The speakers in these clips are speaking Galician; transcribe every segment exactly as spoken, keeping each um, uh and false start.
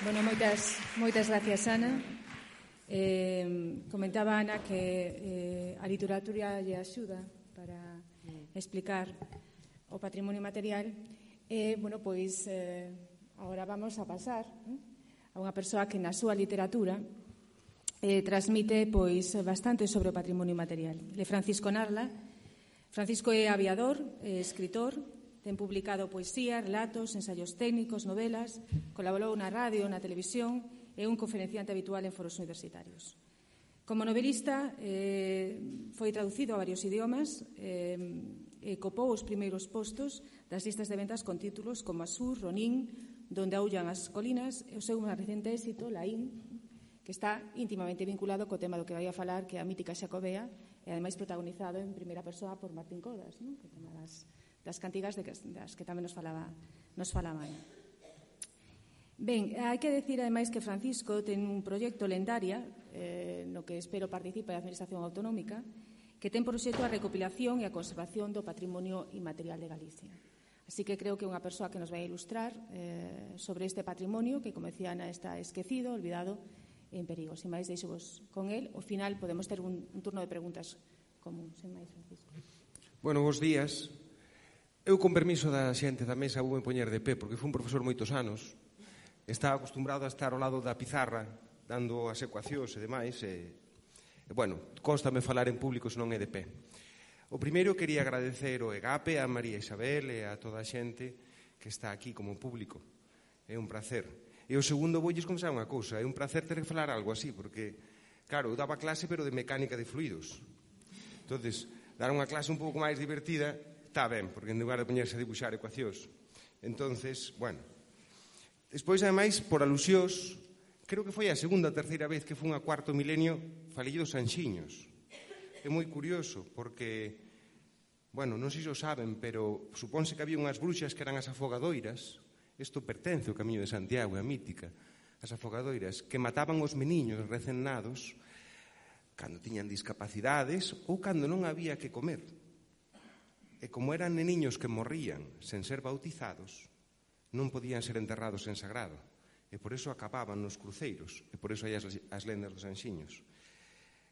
Bueno, moitas, moitas gracias, Ana. Eh, comentaba Ana que eh, a literatura lle axuda para explicar o patrimonio material. E, eh, bueno, pois, eh, agora vamos a pasar eh, a unha persoa que na súa literatura eh, transmite pois bastante sobre o patrimonio material. Ele é Francisco Narla. Francisco é aviador, é escritor, ten publicado poesía, relatos, ensaios técnicos, novelas, colaborou na radio, na televisión, é un conferenciante habitual en foros universitarios. Como novelista, eh, foi traducido a varios idiomas eh, e copou os primeiros postos das listas de ventas con títulos como Asur, Ronin, Donde aullan as colinas, e o seu máis recente éxito, Laín, que está íntimamente vinculado co tema do que vai a falar, que é a mítica Xacobea, e ademais protagonizado en primeira persoa por Martín Codas, non? Que tema das, das cantigas de que, das que tamén nos falaba, nos falaba. Ben, hai que decir ademais que Francisco ten un proxecto Lendaria, eh, no que espero participe a Administración Autonómica, que ten por obxecto a recopilación e a conservación do patrimonio inmaterial de Galicia. Así que creo que é unha persoa que nos vai a ilustrar eh, sobre este patrimonio que, como decía Ana, está esquecido, olvidado e en perigo. Sin máis, deixo-vos con él. Ao final podemos ter un, un turno de preguntas común. Sin máis, Francisco. Bueno, bons días. Eu, con permiso da xente da mesa, vou me poñer de pé, porque fui un profesor moitos anos. Estaba acostumbrado a estar ao lado da pizarra, dando as ecuacións e demais, e, e bueno, constame falar en público se non é de pé. O primeiro, quería agradecer o EGAPE, a María Isabel e a toda a xente que está aquí como público. É un placer. E o segundo, voulles confesar unha cousa, é un placer ter que falar algo así, porque, claro, eu daba clase, pero de mecánica de fluidos. Entonces, dar unha clase un pouco máis divertida, está ben, porque en lugar de poñerse a dibuixar ecuacións. Entonces, bueno. Despois, ademais, por alusións, creo que foi a segunda ou terceira vez que fun a cuarto milenio, falei dos Anxiños. É moi curioso, porque, bueno, non sei se o saben, pero supónse que había unhas bruxas que eran as afogadoiras. Isto pertence ao Camiño de Santiago, é a mítica. As afogadoiras que mataban os meniños recén nados cando tiñan discapacidades ou cando non había que comer. E como eran neniños que morrían sen ser bautizados, non podían ser enterrados en sagrado. E por eso acababan nos cruceiros. E por eso hai as, as lendas dos Anxiños.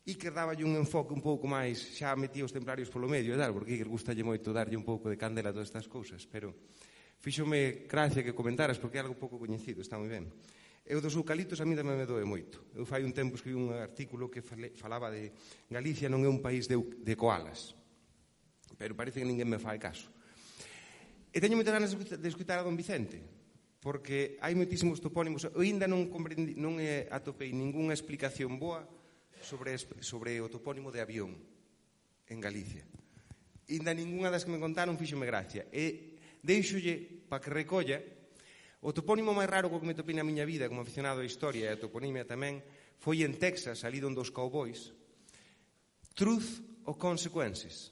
E que daballe un enfoque un pouco máis, xa metía os templarios polo medio, e tal, porque que gustalle moito darlle un pouco de candela a todas estas cousas, pero fíxome gracia que comentaras, porque é algo pouco coñecido, está moi ben. E o dos eucaliptos a mí tamén me doe moito. Eu fai un tempo escribí un artículo que falaba de Galicia non é un país de, de koalas, pero parece que ninguén me fai caso. E teño moitas ganas de escutar a don Vicente, porque hai moitísimos topónimos. Eu ainda non, non atopei ningunha explicación boa sobre, sobre o topónimo de avión en Galicia. Ainda ningunha das que me contaron fíxome gracia. E deixolle para que recolla o topónimo máis raro que me topei na miña vida como aficionado á historia e a toponimia tamén foi en Texas, ali onde os cowboys. Truth ou consequences?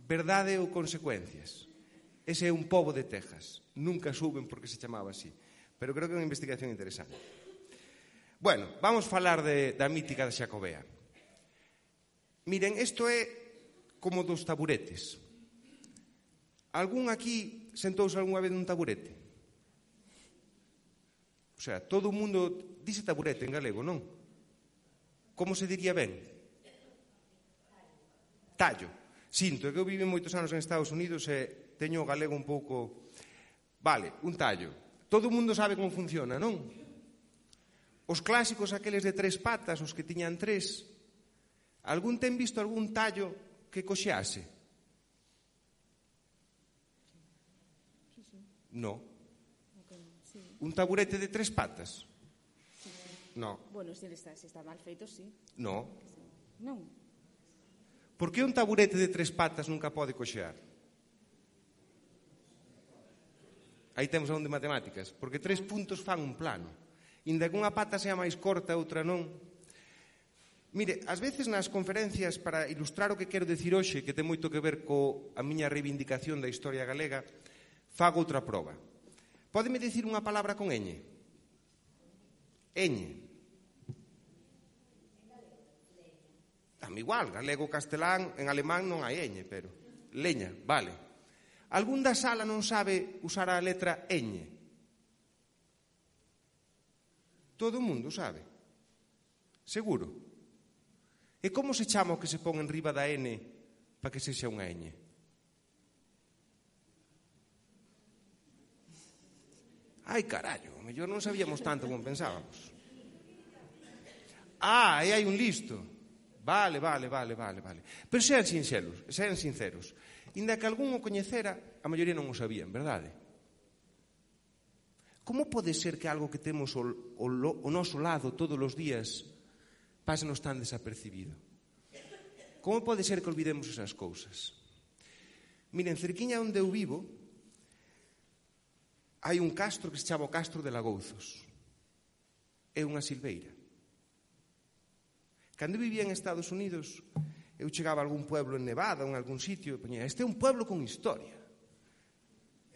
Verdade ou consecuencias? Ese é un pobo de Texas. Nunca suben porque se chamaba así. Pero creo que é unha investigación interesante. Bueno, vamos falar de, da mítica da Xacobea. Miren, isto é como dos taburetes. Algún aquí sentouse algunha vez nun taburete? O sea, todo o mundo dice taburete en galego, non? Como se diría ben? Tallo. Sinto que eu vivo moitos anos en Estados Unidos e teño o galego un pouco... Vale, un tallo. Todo o mundo sabe como funciona, non? Os clásicos, aqueles de tres patas, os que tiñan tres, algún ten visto algún tallo que coxease? No. Un taburete de tres patas? No. Bueno, se está, se está mal feito, sí. No. Non. Por que un taburete de tres patas nunca pode coxear? Aí temos a un de matemáticas. Porque tres puntos fan un plano. Inda que unha pata sea máis corta, outra non. Mire, ás veces nas conferencias, para ilustrar o que quero decir hoxe, que ten moito que ver co a miña reivindicación da historia galega, fago outra proba. Pódeme dicir unha palabra con ñ? Ñ. Dame igual, galego, castelán, en alemán non hai ñ, pero... Leña, vale. Algún da sala non sabe usar a letra ñ? Todo o mundo sabe. Seguro. E como se chama o que se pon en riba da N para que sexa unha ñ? Ai, carallo, o mellor non sabíamos tanto como pensábamos. Ah, e hai un listo. Vale, vale, vale, vale, vale. Pero sean sinceros, sean sinceros. Inda que algún o coñecera, a maioría non o sabían, verdade? Como pode ser que algo que temos o, o, o noso lado todos os días pásenos tan desapercibido? Como pode ser que olvidemos esas cousas? Miren, cerquiña onde eu vivo hai un castro que se chama o Castro de Lagouzos. É unha silveira. Cando eu vivía en Estados Unidos, eu chegaba a algún pueblo en Nevada ou en algún sitio e poñía, este é un pueblo con historia.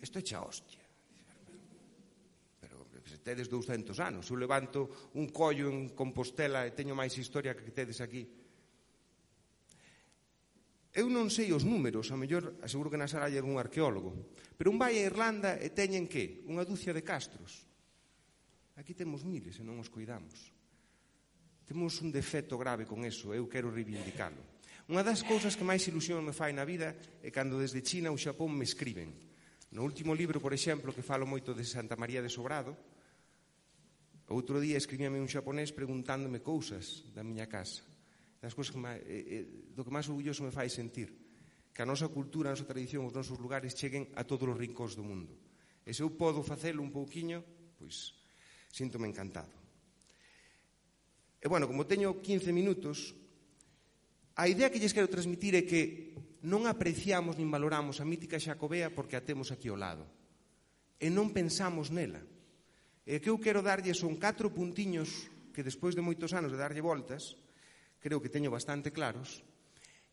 Isto é xa hostia. Pero se tedes douscentos anos, eu levanto un collo en Compostela e teño máis historia que tedes aquí. Eu non sei os números, a mellor aseguro que na sala hai algún arqueólogo, pero un vai a Irlanda e teñen que? Unha dúcia de castros. Aquí temos miles e non os cuidamos. Temos un defecto grave con eso, eu quero reivindicalo. Unha das cousas que máis ilusión me fai na vida é cando desde China ou Xapón me escriben. No último libro, por exemplo, que falo moito de Santa María de Sobrado, outro día escribíame un xaponés preguntándome cousas da miña casa. Das cousas que máis, eh, do que máis orgulloso me fai sentir, que a nosa cultura, a nosa tradición, os nosos lugares cheguen a todos os rincóns do mundo. E se eu podo facelo un pouquiño, pois síntome encantado. E, bueno, como teño quince minutos, a idea que lles quero transmitir é que non apreciamos nin valoramos a mítica Xacobea porque a temos aquí ao lado. E non pensamos nela. E que eu quero darlle son catro puntiños que despois de moitos anos de darlle voltas, creo que teño bastante claros,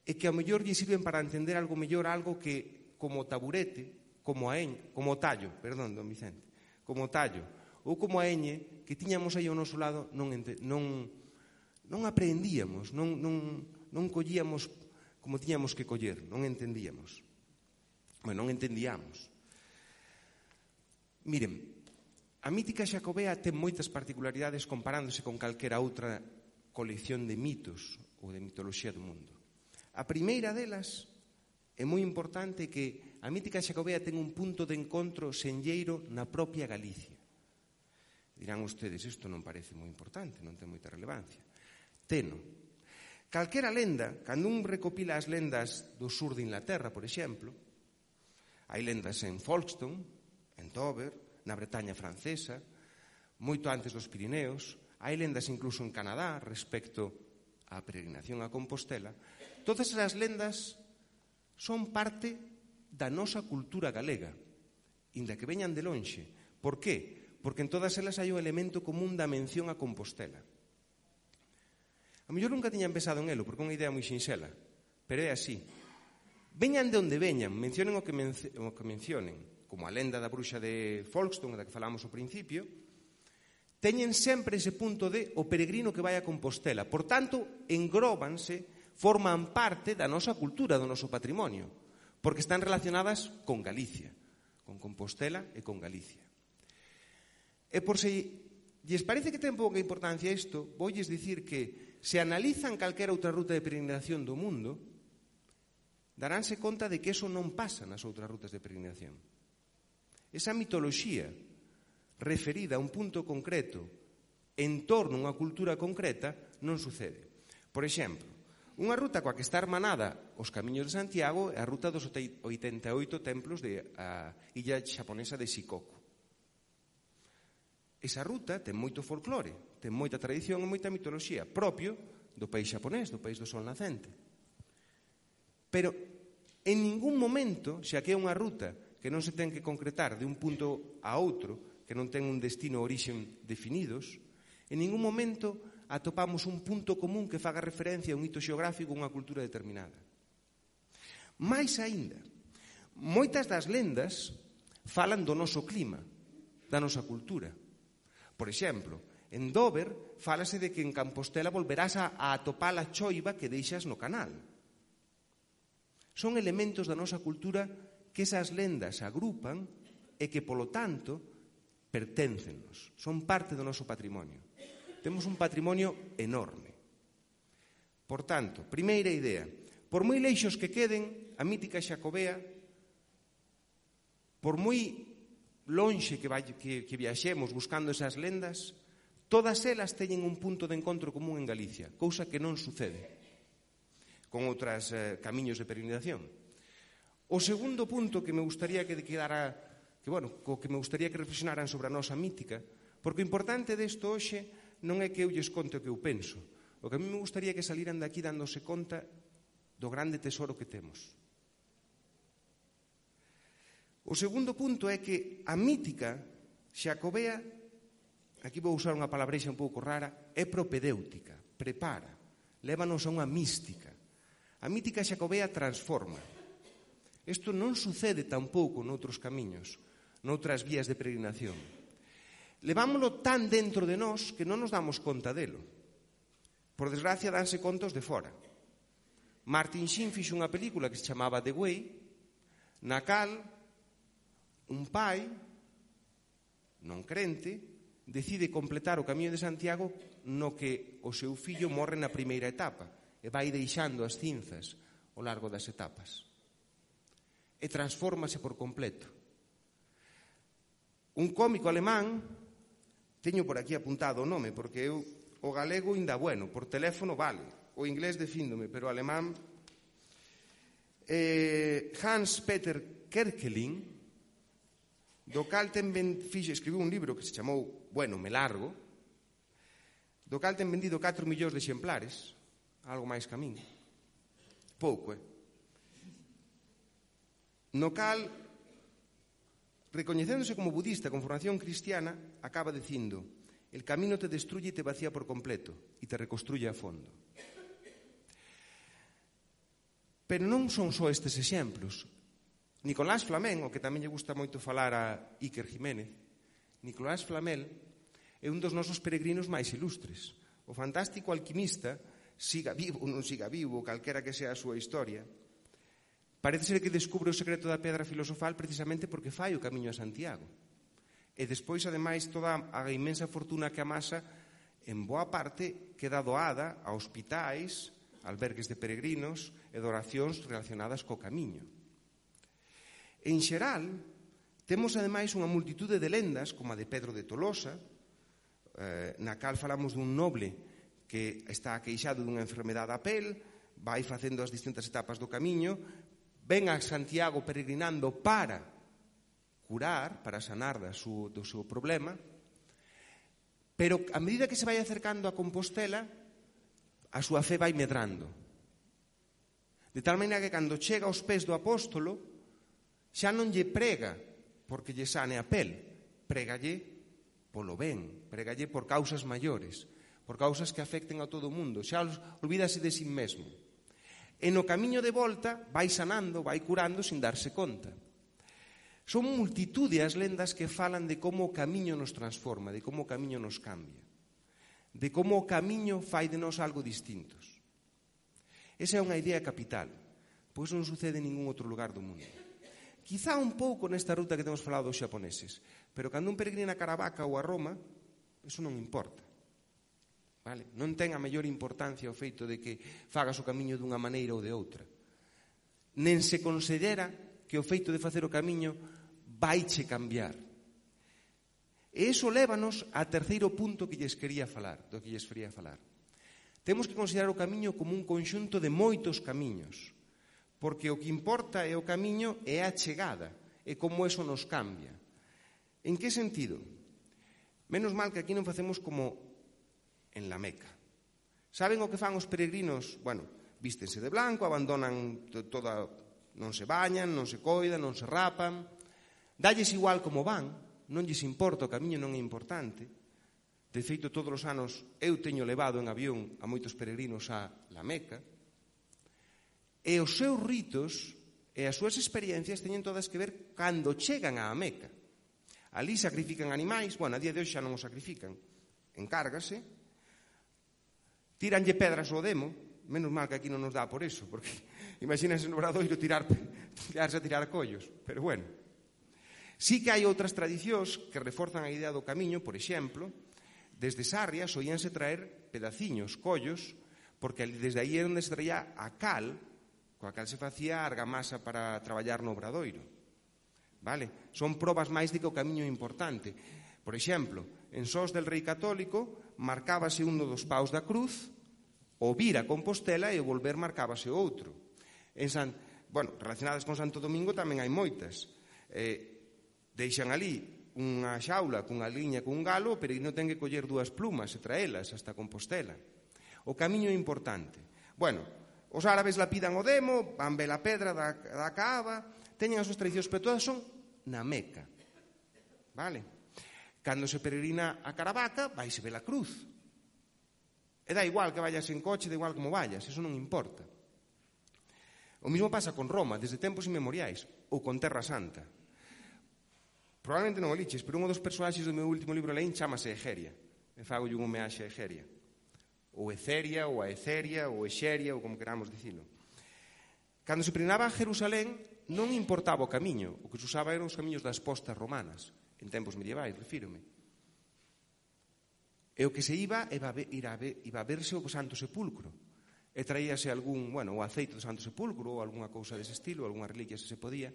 e que ao mellor lle sirven para entender algo mellor, algo que como taburete, como a eñ, como o tallo, perdón, don Vicente, como o tallo, ou como a eñe, que tiñamos aí ao noso lado, non, non, non aprendíamos, non, non, non collíamos como tiñamos que coller, non entendíamos. Bueno, non entendíamos. Miren, a mítica Xacobea ten moitas particularidades comparándose con calquera outra colección de mitos ou de mitoloxía do mundo. A primeira delas é moi importante que a mítica Xacobea ten un punto de encontro senlleiro na propia Galicia. Dirán ustedes, isto non parece moi importante, non ten moita relevancia. Teno. Calquera lenda, cando un recopila as lendas do sur de Inglaterra, por exemplo, hai lendas en Folkestone, en Dover, na Bretaña francesa, moito antes dos Pirineos, hai lendas incluso en Canadá respecto á peregrinación a Compostela. Todas esas lendas son parte da nosa cultura galega, inda que veñan de lonxe. Por qué? Porque en todas elas hai un elemento común da mención a Compostela. A mellor nunca tiñan pensado en elo, porque é unha idea moi sinxela, pero é así. Veñan de onde veñan, mencionen o que, menc- o que mencionen, como a lenda da bruxa de Folkestone, da que falamos ao principio, teñen sempre ese punto de o peregrino que vai a Compostela. Por tanto, engróbanse, forman parte da nosa cultura, do noso patrimonio, porque están relacionadas con Galicia, con Compostela e con Galicia. E por se lles parece que ten pouca importancia isto, voulles dicir que se analizan calquera outra ruta de peregrinación do mundo, daránse conta de que eso non pasa nas outras rutas de peregrinación. Esa mitoloxía referida a un punto concreto en torno a unha cultura concreta non sucede. Por exemplo, unha ruta coa que está hermanada os Camiños de Santiago é a ruta dos oitenta e oito templos de a illa xaponesa de Shikoku. Esa ruta ten moito folclore, ten moita tradición e moita mitoloxía propio do país xaponés, do país do sol nacente. Pero en ningún momento, xa que é unha ruta que non se ten que concretar de un punto a outro, que non ten un destino ou orixen definidos, en ningún momento atopamos un punto común que faga referencia a un hito xeográfico ou unha cultura determinada. Mais aínda, moitas das lendas falan do noso clima, da nosa cultura. Por exemplo, en Dover fálase de que en Compostela volverás a, a atopar a choiva que deixas no canal. Son elementos da nosa cultura que esas lendas agrupan e que, polo tanto, perténcennos, son parte do noso patrimonio. temos un patrimonio enorme. Por tanto, primeira idea, por moi leixos que queden, a mítica Xacobea, por moi lonxe que, vai, que, que viaxemos buscando esas lendas, todas elas teñen un punto de encontro común en Galicia, cousa que non sucede con outros eh, camiños de peregrinación. O segundo punto que me gustaría que quedara, que, bueno, co que me gustaría que reflexionaran sobre a nosa mítica, porque o importante desto hoxe non é que eu lles conte o que eu penso, o que a mí me gustaría que saliran daqui dándose conta do grande tesoro que temos. O segundo punto é que a mítica Xacobea, aquí vou usar unha palabreixa un pouco rara, é propedéutica, prepara, lévanos a unha mística. A mítica Xacobea transforma. Isto non sucede tampouco noutros camiños, noutras vías de peregrinación. Levámoslo tan dentro de nós que non nos damos conta delo. Por desgracia, danse contos de fora. Martin Sheen fixo unha película que se chamaba The Way, na cal un pai, non crente, decide completar o Camiño de Santiago no que o seu fillo morre na primeira etapa e vai deixando as cinzas ao largo das etapas. E transfórmase por completo. Un cómico alemán, teño por aquí apuntado o nome, porque eu o galego inda bueno, por teléfono vale, o inglés defíndome, pero o alemán, eh, Hans Peter Kerkeling, do cal ten ben, fixe, escribiu un libro que se chamou Bueno, me largo, do cal ten vendido catro millóns de exemplares, algo máis que a min. Pouco, eh? No cal, recoñecéndose como budista con formación cristiana, acaba dicindo: el camino te destruye y te vacía por completo y te reconstruye a fondo. Pero non son só estes exemplos. Nicolás Flamel, o que tamén lle gusta moito falar a Iker Jiménez, Nicolás Flamel é un dos nosos peregrinos máis ilustres. O fantástico alquimista, siga vivo ou non siga vivo, calquera que sea a súa historia, parece ser que descubre o secreto da pedra filosofal precisamente porque fai o Camiño a Santiago. E despois, ademais, toda a inmensa fortuna que amasa, en boa parte, queda doada a hospitais, albergues de peregrinos e de oracións relacionadas co Camiño. En xeral, temos, ademais, unha multitude de lendas, como a de Pedro de Tolosa, eh, na cal falamos dun noble que está queixado dunha enfermedade a pel, vai facendo as distintas etapas do Camiño, ven a Santiago peregrinando para curar, para sanar da su, do seu problema, pero a medida que se vai acercando a Compostela, a súa fe vai medrando. De tal maneira que cando chega aos pés do apóstolo, xa non lle prega porque lle sane a pel, prégalle polo ben, prégalle por causas maiores, por causas que afecten a todo o mundo, xa olvídase de si mesmo. E no camiño de volta vai sanando, vai curando sin darse conta. Son multitude as lendas que falan de como o camiño nos transforma, de como o camiño nos cambia, de como o camiño fai de nós algo distintos. Esa é unha idea capital, pois non sucede en ningún outro lugar do mundo. Quizá un pouco nesta ruta que temos falado dos xaponeses, pero cando un peregrina a Caravaca ou a Roma, eso non importa. Vale? Non ten a mellor importancia o feito de que fagas o camiño dunha maneira ou de outra. Nen se considera que o feito de facer o camiño vaiche cambiar. E iso lévanos a terceiro punto que lles quería falar, do que lles quería falar. Temos que considerar o camiño como un conxunto de moitos camiños, porque o que importa é o camiño e a chegada, e como eso nos cambia. En que sentido? Menos mal que aquí non facemos como en la Meca. Saben o que fan os peregrinos? Bueno, vístense de blanco, abandonan toda, non se bañan, non se coidan, non se rapan, dalles igual como van, non lles importa, o camiño non é importante. De feito, todos os anos eu teño levado en avión a moitos peregrinos a la Meca, e os seus ritos e as súas experiencias teñen todas que ver cando chegan á Meca. Ali sacrifican animais, bueno, a día de hoxe xa non os sacrifican, encárgase, tíranlle pedras ao demo, menos mal que aquí non nos dá por eso, porque imagínense no Obradoiro tirar, tirarse a tirar collos, pero bueno. Sí que hai outras tradicións que reforzan a idea do camiño, por exemplo, Desde Sarria soíanse traer pedaciños, collos, porque desde aí é onde se traía a cal, coa cal se facía a argamasa para traballar no obradoiro. Vale? Son probas máis de que o camiño é importante. Por exemplo, en Sós del Rei Católico marcábase un dos paus da cruz, o vir a Compostela e o volver marcábase o outro. En San, bueno, relacionadas con Santo Domingo tamén hai moitas. Eh, deixan ali unha xaula cunha liña cun galo, pero non ten que coller dúas plumas e traelas hasta Compostela. O camiño é importante. Bueno, os árabes lapidan o demo, van ver a pedra da, da Caaba, teñen as súas tradicións, pero todas son na Meca. Vale? Cando se peregrina a Caravaca, vaise ver a cruz. E dá igual que vayas en coche, dá igual como vayas, eso non importa. O mismo pasa con Roma, desde tempos inmemoriais, ou con Terra Santa. Probablemente non o liches, pero un dos personaxes do meu último libro leín chamase Egeria. E fagolle un homeaxe a Egeria. Ou Eceria, ou a Eceria, ou Exeria, ou como queramos dicilo. Cando se peregrinaba a Jerusalén, non importaba o camiño, o que se usaba eran os camiños das postas romanas, en tempos medievais, refírome. E o que se iba iba a verse o Santo Sepulcro, e traíase algún, bueno, o aceite do Santo Sepulcro, ou algunha cousa dese estilo, algunha reliquia se se podía,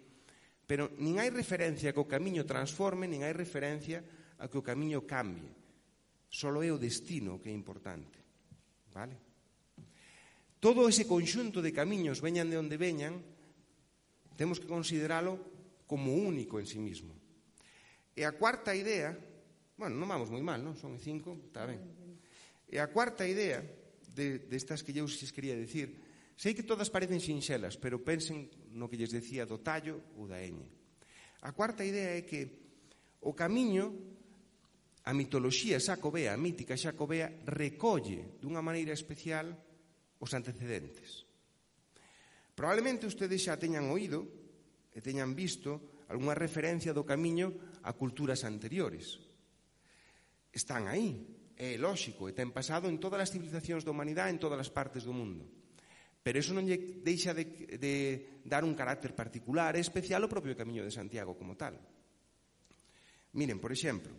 pero nin hai referencia a que o camiño transforme, nin hai referencia a que o camiño cambie. Solo é o destino que é importante. Vale? Todo ese conxunto de camiños, veñan de onde veñan, temos que consideralo como único en sí mismo. E a cuarta idea, bueno, non vamos moi mal, non? Son cinco, está ben. E a cuarta idea de, destas que eu xes quería dicir, sei que todas parecen sinxelas, pero pensen no que lles decía do tallo ou da eñe. A cuarta idea é que o camiño, a mitoloxía xacobea, a mítica xacobea, recolle dunha maneira especial os antecedentes. Probablemente ustedes xa teñan oído e teñan visto algunha referencia do camiño a culturas anteriores. Están aí, é lóxico, e ten pasado en todas as civilizacións da humanidade, en todas as partes do mundo. Pero eso non lle deixa de, de dar un carácter particular e especial ao propio Camiño de Santiago como tal. Miren, por exemplo,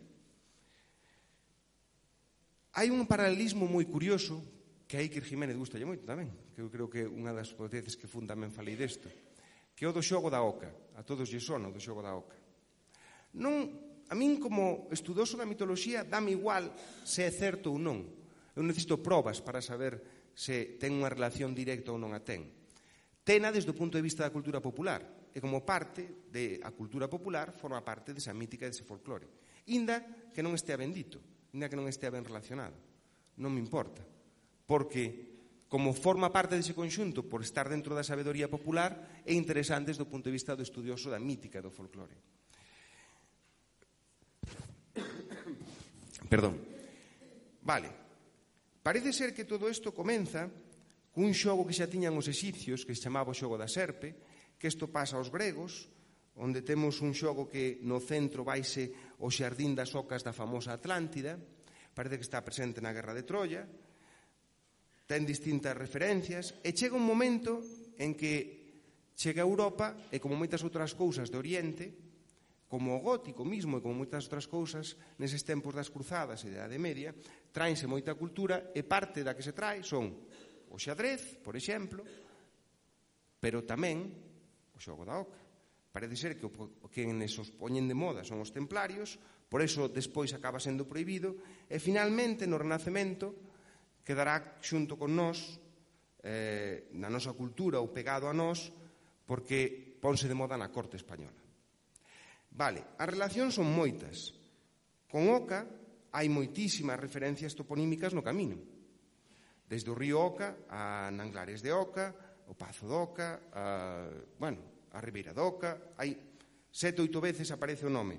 hai un paralelismo moi curioso que a Iker Jiménez gustalle moito tamén, que eu creo que unha das veces que fun tamén falei desto, que é o do xogo da oca. A todos lle sona o do xogo da oca. Non, a min como estudoso da mitoloxía dame igual se é certo ou non. Eu necesito probas para saber se ten unha relación directa ou non a ten. Tena desde o punto de vista da cultura popular, e como parte da cultura popular forma parte desa mítica e dese folclore. Inda que non estea ben dito, inda que non estea ben relacionado. Non me importa, porque como forma parte dese conxunto por estar dentro da sabedoría popular é interesante desde o punto de vista do estudioso da mítica e do folclore. Perdón. Vale. Parece ser que todo isto comeza cun xogo que xa tiñan os exipcios, que se chamaba o xogo da serpe, que isto pasa aos gregos, onde temos un xogo que no centro vaise o xardín das ocas da famosa Atlántida, parece que está presente na Guerra de Troia, ten distintas referencias, e chega un momento en que chega a Europa, e como moitas outras cousas de Oriente, como o gótico mismo e como moitas outras cousas, neses tempos das cruzadas e da Idade Media, traense moita cultura e parte da que se trae son o xadrez, por exemplo, pero tamén o xogo da oca. Parece ser que o que nesos poñen de moda son os templarios, por eso despois acaba sendo prohibido, e finalmente no Renacemento quedará xunto con nós, eh, na nosa cultura ou pegado a nós, porque ponse de moda na corte española. Vale, as relacións son moitas. Con Oca hai moitísimas referencias toponímicas no camiño. Desde o río Oca a Nanglares de Oca, o Pazo de Oca, a, bueno, a Ribeira de Oca, hai sete, oito veces aparece o nome.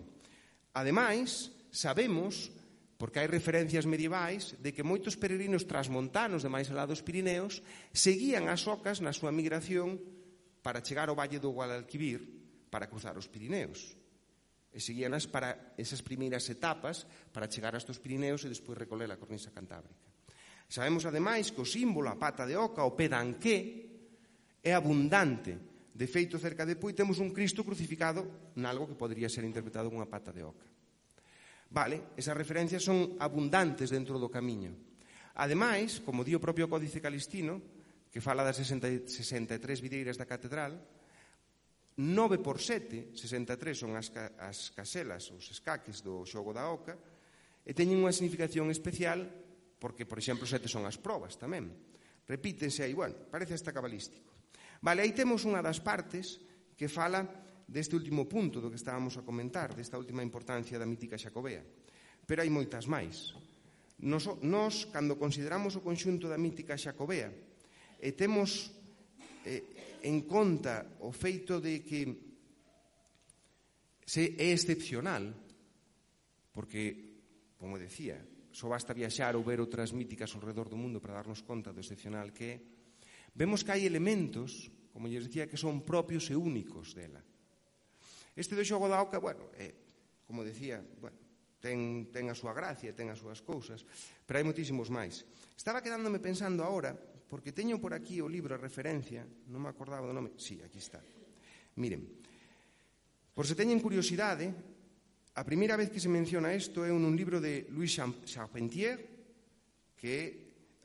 Ademais, sabemos, porque hai referencias medievais, de que moitos peregrinos transmontanos de máis alá dos Pirineos seguían as ocas na súa migración para chegar ao Valle do Guadalquivir para cruzar os Pirineos. E seguíanas para esas primeiras etapas para chegar a estos Pirineos e despois recorrer a cornisa cantábrica. Sabemos, ademais, que o símbolo, a pata de oca, o pé d'anqué, é abundante. De feito, cerca de Pui temos un Cristo crucificado nalgo que podería ser interpretado como unha pata de oca. Vale, esas referencias son abundantes dentro do camiño. Ademais, como di o propio Códice Calistino, que fala das sesenta e tres videiras da catedral, nove por sete, sesenta e tres son as, as caselas, os escaques do xogo da oca, e teñen unha significación especial porque, por exemplo, sete son as probas tamén. Repítense aí, bueno, parece hasta cabalístico. Vale, aí temos unha das partes que fala deste último punto do que estábamos a comentar, desta última importancia da mítica xacobea. Pero hai moitas máis. Nos, nos cando consideramos o conxunto da mítica xacobea e temos eh, en conta o feito de que se é excepcional, porque, como decía, só basta viaxar ou ver outras míticas ao redor do mundo para darnos conta do excepcional que é, vemos que hai elementos, como lles decía, que son propios e únicos dela. Este do xogo da oca, bueno, é, como decía, bueno, ten, ten a súa gracia, ten as súas cousas, pero hai moitísimos máis. Estaba quedándome pensando agora, porque teño por aquí o libro a referencia, non me acordaba do nome, sí, aquí está. Miren, por se teñen curiosidade, a primeira vez que se menciona isto é un libro de Louis Charpentier, que,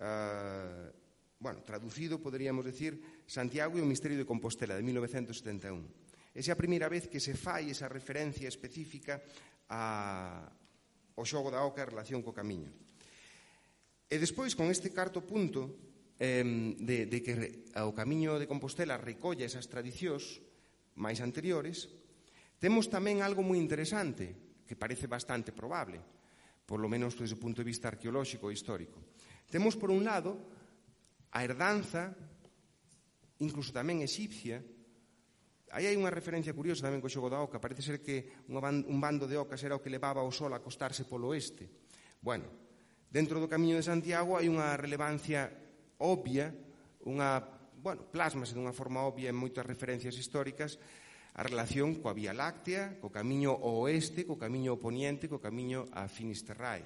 uh, bueno, traducido, poderíamos decir, Santiago e o misterio de Compostela, de mil novecentos setenta e un. Esa é a primeira vez que se fai esa referencia específica a, ao xogo da oca en relación co camiño. E despois, con este carto punto eh, de, de que o camiño de Compostela recolla esas tradicións máis anteriores, temos tamén algo moi interesante, que parece bastante probable, por lo menos desde o punto de vista arqueolóxico e histórico. Temos, por un lado, a herdanza, incluso tamén exipcia. Aí hai unha referencia curiosa tamén co xogo da oca. Parece ser que un bando de ocas era o que levaba o sol a acostarse polo oeste. Bueno, dentro do Camiño de Santiago hai unha relevancia obvia, unha, bueno, plásmase dunha forma obvia en moitas referencias históricas, a relación coa Vía Láctea, co camiño ao oeste, co camiño ao poniente, co camiño a Finisterrae.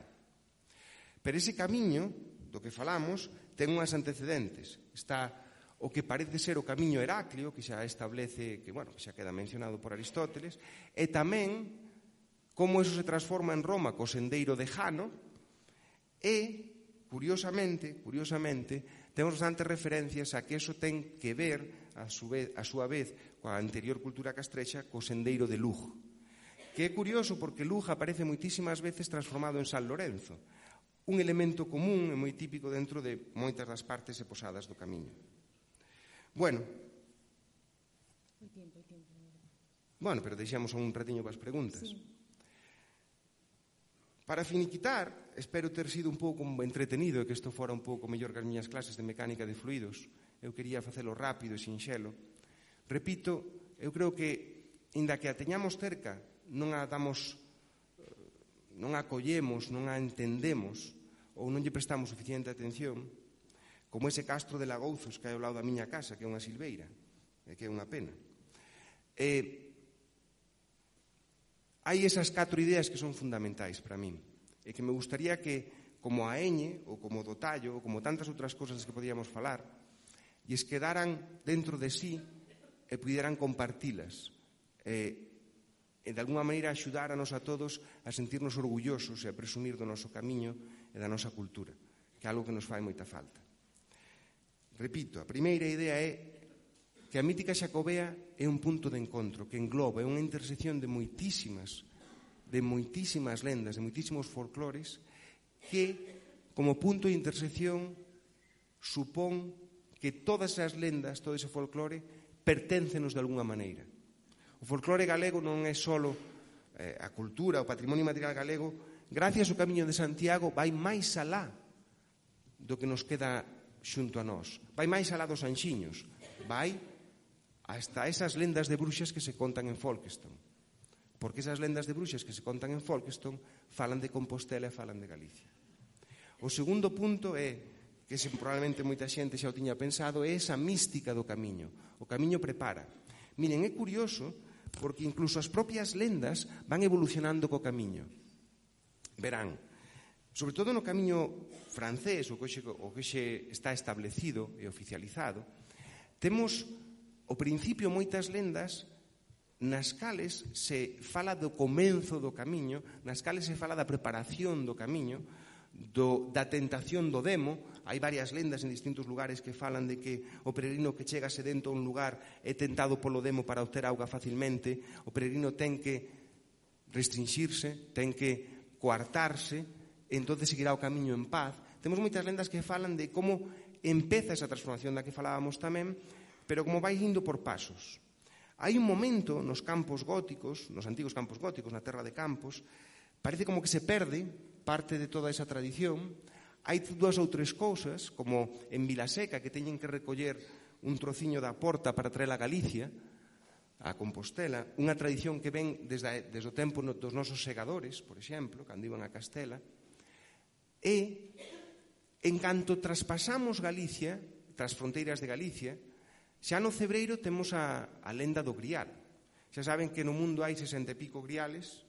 Pero ese camiño do que falamos ten unhas antecedentes. Está o que parece ser o camiño Heraclio, que xa establece, que, bueno, que xa queda mencionado por Aristóteles, e tamén como eso se transforma en Roma co sendeiro de Jano, e, curiosamente, curiosamente, temos bastantes referencias a que eso ten que ver, a, su vez, a súa vez, coa anterior cultura castrexa, co sendeiro de Lugo. Que é curioso porque Lugo aparece moitísimas veces transformado en San Lorenzo, un elemento común e moi típico dentro de moitas das partes e posadas do camiño. Bueno, bueno, pero deixamos un ratiño para as preguntas. Sí. Para finiquitar, espero ter sido un pouco entretenido e que isto fora un pouco mellor que as miñas clases de mecánica de fluidos. Eu quería facelo rápido e sinxelo. Repito, eu creo que, inda que a teñamos cerca, non a damos, non a acollemos, non a entendemos, ou non lle prestamos suficiente atención, como ese castro de Lagouzos que hai ao lado da miña casa, que é unha silveira, e que é unha pena. E hai esas catro ideas que son fundamentais para min, e que me gustaría que, como a Eñe, ou como do Tallo, ou como tantas outras cosas que podíamos falar, lles quedaran dentro de sí e puderan compartilas, e, e de alguma maneira axudáranos a todos a sentirnos orgullosos e a presumir do noso camiño e da nosa cultura, que é algo que nos fai moita falta. Repito, a primeira idea é que a mítica xacobea é un punto de encontro que engloba, é unha intersección de moitísimas, de moitísimas lendas, de moitísimos folclores que, como punto de intersección, supón que todas as lendas, todo ese folclore, perténcenos de alguna maneira. O folclore galego non é só eh, a cultura, o patrimonio material galego, gracias ao Camiño de Santiago, vai máis alá do que nos queda xunto a nós. Vai máis alá dos anxiños, vai hasta esas lendas de bruxas que se contan en Folkestone. Porque esas lendas de bruxas que se contan en Folkestone falan de Compostela e falan de Galicia. O segundo punto é, que se probablemente moita xente xa o tiña pensado, é esa mística do camiño. O camiño prepara. Miren, é curioso porque incluso as propias lendas van evolucionando co camiño. Verán, sobre todo no camiño francés, o que xe, o que xe está establecido e oficializado, temos ao principio moitas lendas nas cales se fala do comenzo do camiño, nas cales se fala da preparación do camiño, do, da tentación do demo. Hai varias lendas en distintos lugares que falan de que o peregrino que chega sedento a un lugar é tentado polo demo para obter auga facilmente, o peregrino ten que restringirse, ten que coartarse, e entón seguirá o camiño en paz. Temos moitas lendas que falan de como empeza esa transformación da que falábamos tamén, pero como vai indo por pasos. Hai un momento nos campos góticos, nos antigos campos góticos, na terra de Campos, parece como que se perde parte de toda esa tradición. Hai dúas ou tres cousas, como en Vilaseca, que teñen que recoller un trociño da porta para traer a Galicia, a Compostela, unha tradición que ven desde, desde o tempo dos nosos segadores, por exemplo, cando iban a Castela, e en canto traspasamos Galicia, tras fronteiras de Galicia, xa no Cebreiro temos a, a lenda do Grial. Xa saben que no mundo hai sesenta e pico griales,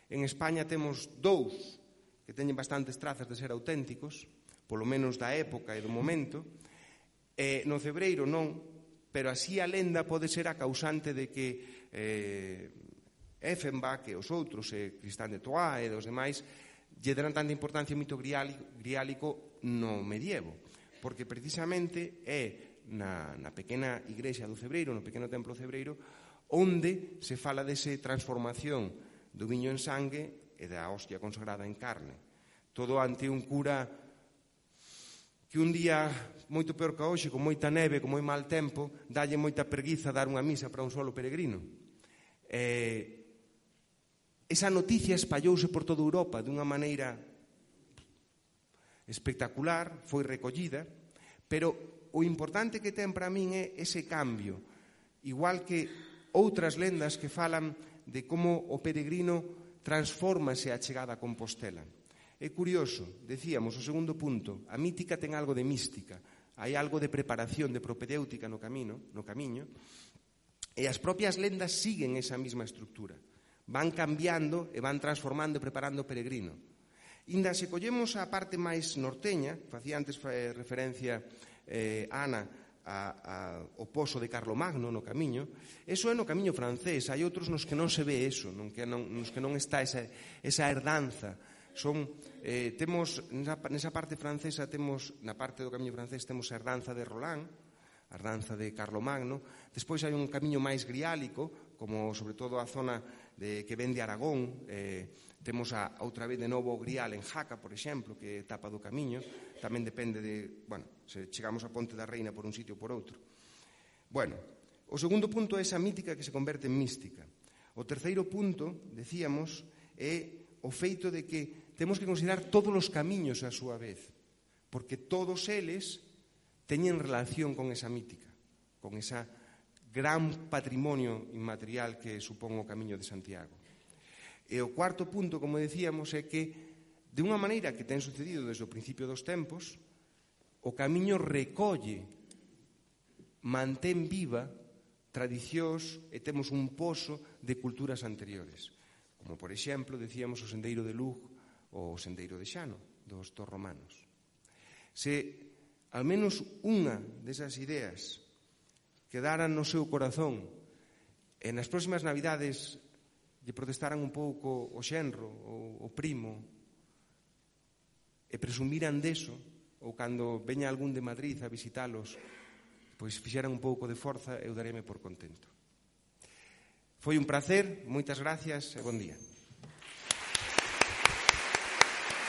en España temos dous que teñen bastantes trazas de ser auténticos, polo menos da época e do momento, e no Cebreiro non, pero así a lenda pode ser a causante de que eh, Effenbach e os outros, e Cristán de Troyes e os demais, lle deran tanta importancia ao mito griálico, griálico no medievo, porque precisamente é na, na pequena igrexa do Cebreiro, no pequeno templo Cebreiro, onde se fala dese transformación do viño en sangue e da hostia consagrada en carne. Todo ante un cura que un día moito peor que hoxe, con moita neve, con moi mal tempo, dalle moita preguiza dar unha misa para un solo peregrino. Eh, esa noticia espallouse por toda Europa dunha maneira espectacular, foi recollida, pero o importante que ten para min é ese cambio, igual que outras lendas que falan de como o peregrino transfórmase a chegada a Compostela. É curioso, decíamos, o segundo punto, a mítica ten algo de mística, hai algo de preparación, de propedéutica no camino, no camiño, e as propias lendas siguen esa mesma estructura. Van cambiando e van transformando e preparando o peregrino. Inda se collemos a parte máis norteña, facía antes referencia eh, Ana a, a, o pozo de Carlomagno no camiño, eso é no camiño francés, hai outros nos que non se ve eso, non, que non, nos que non está esa, esa herdanza. Son, eh, temos, nesa, nesa parte francesa, temos, na parte do camiño francés, temos a herdanza de Roland, a herdanza de Carlomagno. Despois hai un camiño máis griálico, como sobre todo a zona de, que ven de Aragón. Eh, temos a, outra vez de novo o Grial en Jaca, por exemplo, que é etapa do camiño. Tamén depende de, bueno, se chegamos a Ponte da Reina por un sitio ou por outro. Bueno, o segundo punto é esa mítica que se converte en mística. O terceiro punto, decíamos, é o feito de que temos que considerar todos os camiños a súa vez, porque todos eles teñen relación con esa mítica, con esa gran patrimonio inmaterial que supón o Camiño de Santiago. E o cuarto punto, como decíamos, é que, de unha maneira que ten sucedido desde o principio dos tempos, o Camiño recolle, mantén viva tradicións e temos un pozo de culturas anteriores, como, por exemplo, decíamos o Sendeiro de Lug ou o Sendeiro de Xano, dos torromanos. Se al menos unha desas ideas quedaran no seu corazón e nas próximas navidades lle protestaran un pouco o xenro ou o primo e presumiran deso, ou cando veña algún de Madrid a visitalos, pois fixeran un pouco de forza, eu daréme por contento. Foi un placer, moitas gracias e bon día.